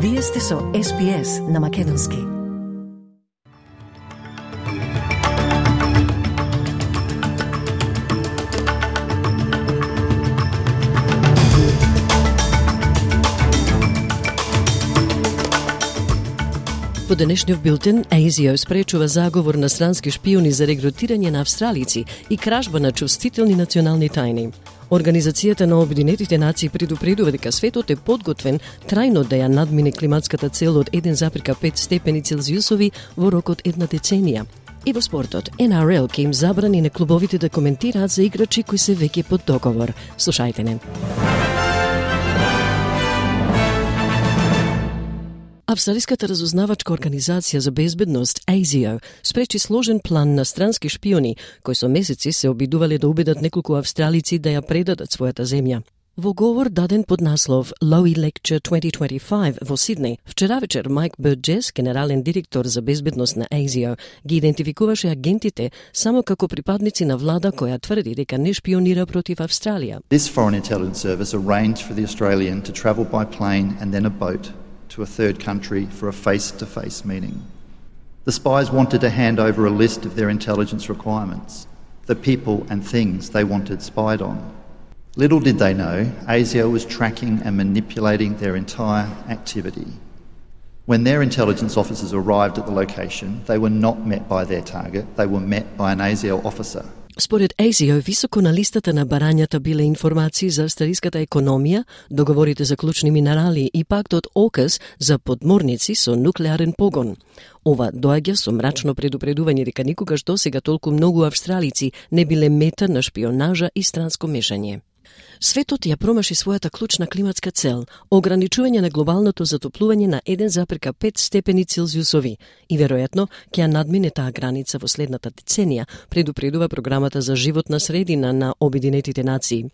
Вие сте со SPS на Македонски. Во денешниот билтен, ASIO спречува заговор на странски шпиони за регрутирање на австралици и кражба на чувствителни национални тајни. Организацијата на Обединетите нации предупредува дека светот е подготвен трајно да ја надмине климатската цел од 1,5 степени Целзиусови во рок од една деценија. И во спортот, NRL ќе им забрани на клубовите да коментираат за играчи кои се веќе под договор. Слушајте не. Австралиската разузнавачка организација за безбедност ASIO спречи сложен план на странски шпиони кои со месеци се обидувале да убедат неколку австралици да ја предадат својата земја. Во говор даден под наслов Lowy Lecture 2025 во Сиднеј, вчера вечер Майк Бурджес, генерален директор за безбедност на ASIO, ги идентификуваше агентите само како припадници на влада која тврди дека не шпионира против Австралија. This foreign intelligence service arranged for the Australian to travel by plane and then a boat to a third country for a face-to-face meeting. The spies wanted to hand over a list of their intelligence requirements, the people and things they wanted spied on. Little did they know, ASIO was tracking and manipulating their entire activity. When their intelligence officers arrived at the location, they were not met by their target, they were met by an ASIO officer. Според ASIO, високо на листата на барањата биле информации за австралиската економија, договорите за клучни минерали и пактот ОКАС за подморници со нуклеарен погон. Ова доаѓа со мрачно предупредување дека никогаш досега толку многу австралици не биле мета на шпионажа и странско мешање. Светот ја промаши својата клучна климатска цел – ограничување на глобалното затоплување на 1,5 степени Целзиусови и веројатно ќе ја надмине таа граница во следната деценија, предупредува програмата за животна средина на Обединетите нации.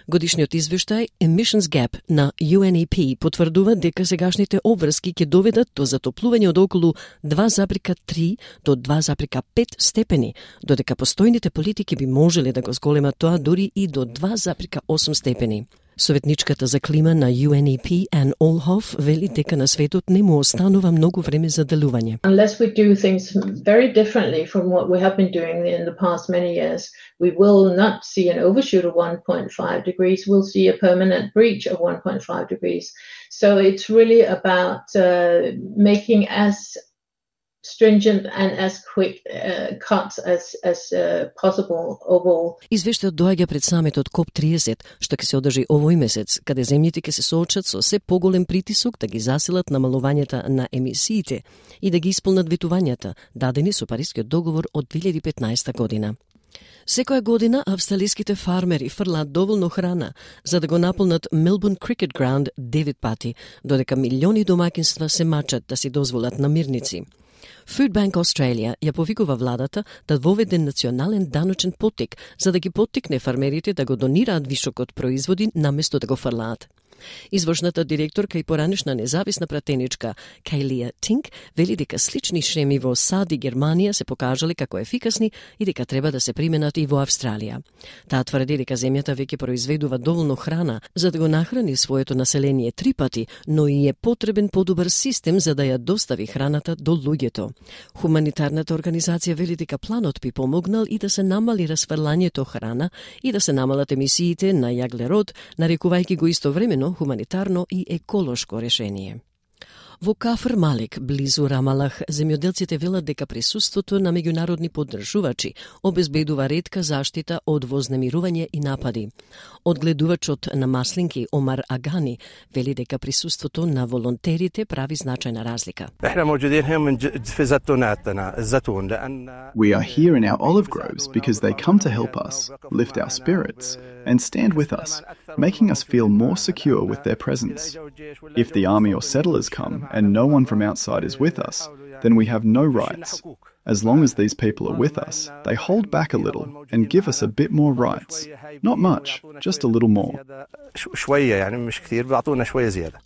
Годишниот извештај Emissions Gap на UNEP потврдува дека сегашните обврски ќе доведат до затоплување од околу 2,3 до 2,5 степени, додека постојните политики би можеле да го зголемат тоа дури и до 2,8 степени. Советничката за клима на UNEP, Ann Olhoff, вели дека на светот не му останува многу време за делување. Unless we do things very differently from what we have been doing in the past many years, we will not see an overshoot of 1.5 degrees, we'll see a permanent breach of 1.5 degrees. So it's really about making as stringent and as quick cuts as possible overall. Извештајот доаѓа пред самитот COP30, што ќе се одржи овој месец, каде земјите ќе се соочат со се поголем притисок да ги засилат намалувањата на емисиите и да ги исполнат ветувањата, дадени со Парискиот договор од 2015 година. Секоја година австралиските фармери фрлаат доволно храна за да го наполнат Melbourne Cricket Ground 9 пати, додека милиони домаќинства се мачат да си дозволат намирници. Food Bank Australia ја повикува владата да воведе национален даночен поттик за да ги поттикне фармерите да го донираат вишокот производи наместо да го фрлаат. Извршната директорка и поранешна независна пратеничка Кајлија Тинк вели дека слични шеми во САД и Германија се покажале како ефикасни и дека треба да се применат и во Австралија. Таа тврди дека земјата веќе произведува доволно храна за да го нахрани своето население 3 пати, но и е потребен подобар систем за да ја достави храната до луѓето. Хуманитарната организација вели дека планот би помогнал и да се намали расфрлањето храна и да се намалат емисиите на јаглерод, нарекувајќи го истовремено хуманитарно и еколошко решение. Во Кафр Малик, близу Рамалах, земјоделците велат дека присуството на меѓународни поддржувачи обезбедува ретка заштита од вознемирување и напади. Одгледувачот на маслинки Омар Агани вели дека присуството на волонтерите прави значајна разлика. We are here in our olive groves because they come to help us, lift our spirits, and stand with us, making us feel more secure with their presence. If the army or settlers come and no one from outside is with us, then we have no rights. As long as these people are with us, they hold back a little and give us a bit more rights. Not much, just a little more.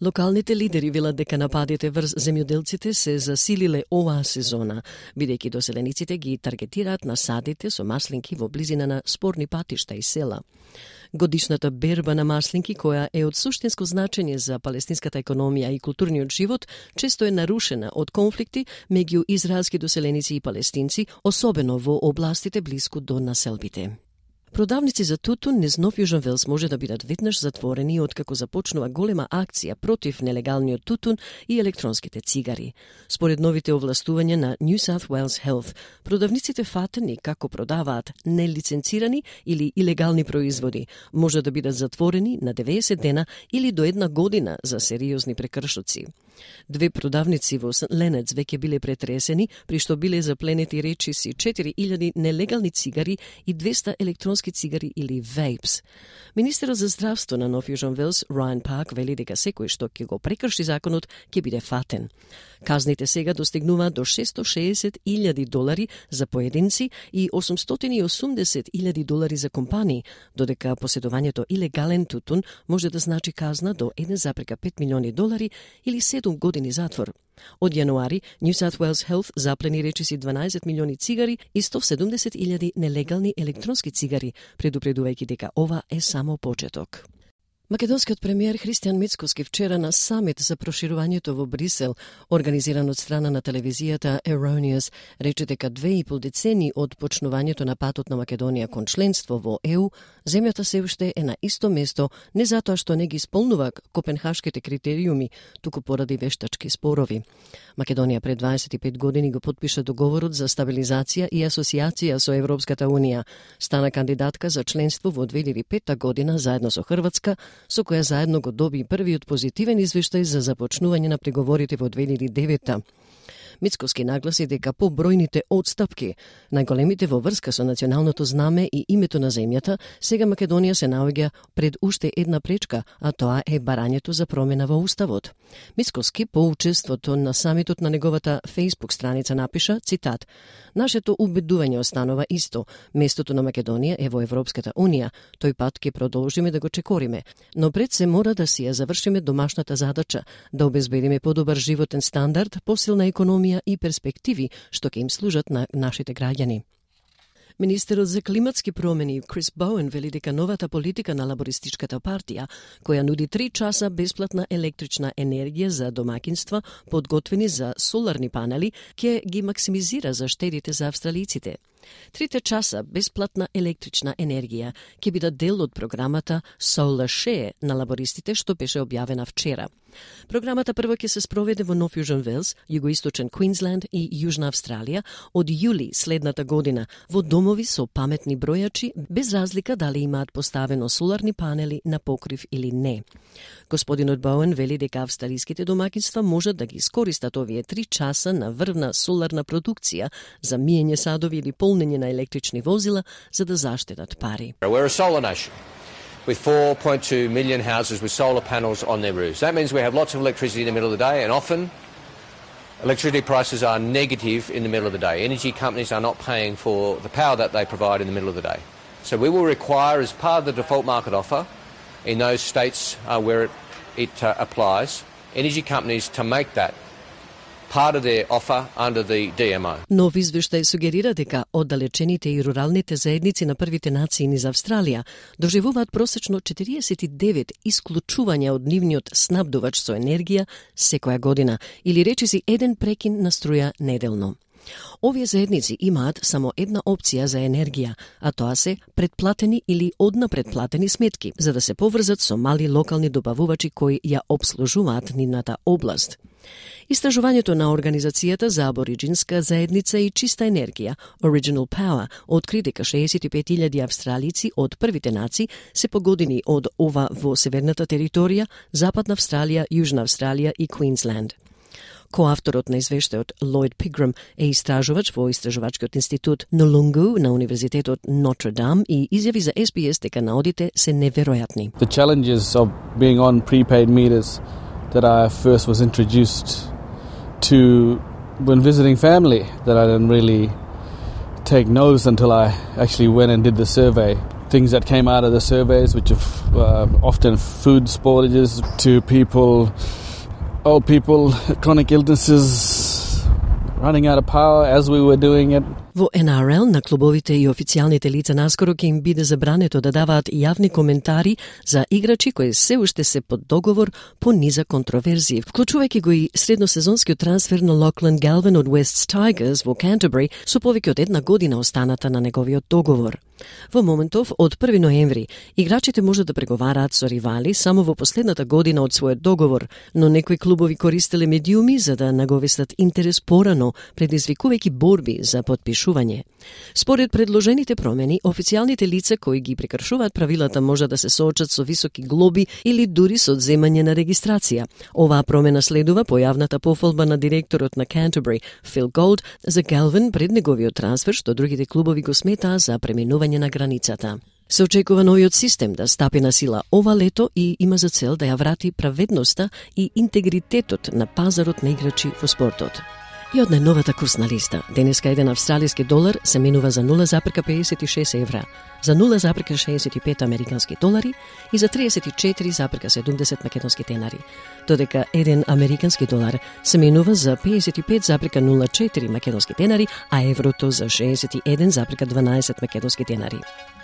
Локалните лидери велат дека нападите врз земјоделците се засилиле оваа сезона, бидејќи доселениците ги таргетираат насадите со маслинки во близина на спорни патишта и села. Годишната берба на маслинки, која е од суштинско значење за палестинската економија и културниот живот, често е нарушена од конфликти меѓу израелски доселеници и палестинци, особено во областите блиску до населбите. Продавници за тутун низ Нов Јужен Велс може да бидат веднаш затворени откако започнува голема акција против нелегалниот тутун и електронските цигари. Според новите овластувања на New South Wales Health, продавниците фатени како продаваат нелиценцирани или илегални производи може да бидат затворени на 90 дена или до 1 година за сериозни прекршоци. 2 продавници во Сент Ленец веќе биле претресени, при што биле запленети речиси 4000 нелегални цигари и 200 електронски цигари или вейпс. Министерот за здравство на Нов Јужен Велс, Райан Парк, вели дека секој што ќе го прекрши законот ќе биде фатен. Казните сега достигнуваат до $660,000 за поединци и $880,000 за компании, додека поседувањето илегален тутун може да значи казна до $1,5 милиони или 7 години затвор. Од јануари, New South Wales Health заплени речиси 12 милиони цигари и 170,000 нелегални електронски цигари, предупредувајќи дека ова е само почеток. Македонскиот премиер Христијан Мицкоски вчера на самит за проширувањето во Брисел, организиран од страна на телевизијата Erroneous, рече дека 2,5 децени од почнувањето на патот на Македонија кон членство во ЕУ, земјата се уште е на исто место, не затоа што не ги исполнува копенхашките критериуми, туку поради вештачки спорови. Македонија пред 25 години го потпиша договорот за стабилизација и асоциација со Европската Унија. Стана кандидатка за членство во 2005 година заедно со Хрватска, со која заедно го доби првиот позитивен извештај за започнување на преговорите во 2009. Мицкоски нагласи дека по бројните отстапки, најголемите во врска со националното знаме и името на земјата, сега Македонија се наоѓа пред уште една пречка, а тоа е барањето за промена во уставот. Мицкоски по учеството на самитот на неговата Facebook страница напиша, цитат: "Нашето убедување останува исто. Местото на Македонија е во Европската Унија. Тој пат ќе продолжиме да го чекориме, но пред се мора да си ја завршиме домашната задача, да обезбедиме подобар животен стандард, посилна економија и перспективи што ќе им служат на нашите граѓани." Министерот за климатски промени Крис Боуен вели дека новата политика на лабористичката партија, која нуди 3 часа бесплатна електрична енергија за домакинства подготвени за соларни панели, ќе ги максимизира заштедите за австралиците. 3 часа бесплатна електрична енергија ќе бидат дел од програмата Solar Share на лабористите што беше објавена вчера. Програмата прво ќе се спроведе во Нов Јужен Велс, југоисточен Квинсленд и Јужна Австралија од јули следната година во домови со паметни бројачи, без разлика дали имаат поставено соларни панели на покрив или не. Господинот Боуен вели дека австралиските домакинства можат да ги искористат овие 3 часа на врвна соларна продукција за миење садови или полнење на електрични возила за да заштедат пари. We're a solar nation with 4.2 million houses with solar panels on their roofs. That means we have lots of electricity in the middle of the day, and often electricity prices are negative in the middle of the day. Energy companies are not paying for the power that they provide in the middle of the day. So we will require, as part of the default market offer, in those states where it applies, energy companies to make that part of their offer under the DMO. Нов извештај сугерира дека оддалечените и руралните заедници на првите нации низ Австралија доживуваат просечно 49 исклучувања од нивниот снабдувач со енергија секоја година, или речиси 1 прекин на струја неделно. Овие заедници имаат само една опција за енергија, а тоа се предплатени или однапредплатени сметки, за да се поврзат со мали локални добавувачи кои ја обслужуваат нивната област. Истражувањето на Организацијата за абориджинска заедница и чиста енергија, Original Power, откри дека 65,000 австралици од првите нации се погодени од ова во северната територија, Западна Австралија, Јужна Австралија и Квинсленд. Коавторот на извештајот Лойд Пиграм е истражувач во Истражувачкиот институт Нолунгу на Универзитетот Нотр Дам и изјави за SBS дека наодите се неверојатни. The challenges of being on prepaid meters that I first was introduced to when visiting family that I didn't really take notice until I actually went and did the survey. Things that came out of the surveys, which are often food spoilages to people, old people, chronic illnesses, running out of power as we were doing it. Во НРЛ на клубовите и официјалните лица наскоро ќе им биде забрането да даваат јавни коментари за играчи кои се уште се под договор по низа контроверзии, вклучувајќи го и средносезонскиот трансфер на Локланд Галвин од Уест Тайгерс во Кентербери со повеќе од 1 година останата на неговиот договор. Во моментов, од 1 ноември, играчите можат да преговараат со ривали само во последната година од својот договор, но некои клубови користеле медиуми за да наговестат интерес порано, предизвикувајќи борби за подпишување. Според предложените промени, официјалните лица кои ги прекршуваат правилата може да се соочат со високи глоби или дури со одземање на регистрација. Оваа промена следува појавната пофалба на директорот на Canterbury, Phil Gold, за Галвин пред неговиот трансфер, што другите клубови го сметаа за преминување на границата. Се очекува новиот систем да стапи на сила ова лето и има за цел да ја врати праведноста и интегритетот на пазарот на играчи во спортот. И од најновата курсна листа, денеска еден австралиски долар се менува за 0,56 евра, за 0,65 американски долари и за 34,70 македонски тенари, додека еден американски долар се менува за 55,04 македонски тенари, а еврото за 61,12 македонски тенари.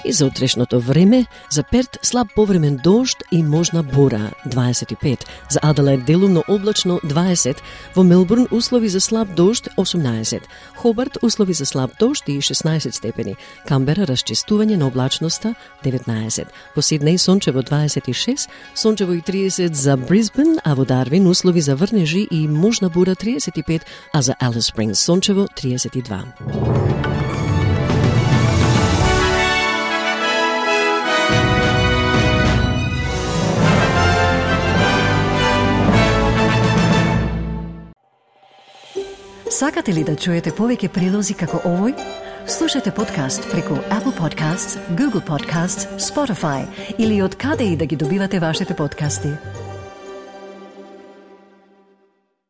И за утрешното време, за Перт слаб повремен дожд и можна бура 25, за Аделаид делумно облачно 20, во Мелбурн услови за слаб дожд 18, Хобарт услови за слаб дожд и 16 степени, Камбера расчистување на облачноста 19, во Сиднеј сончево 26, сончево и 30 за Брисбен, а во Дарвин услови за врнежи и можна бура 35, а за Алис Спрингс сончево 32. Сакате ли да чуете повеќе прилози како овој? Слушате подкаст преку Apple Podcasts, Google Podcasts, Spotify или од каде и да ги добивате вашите подкасти.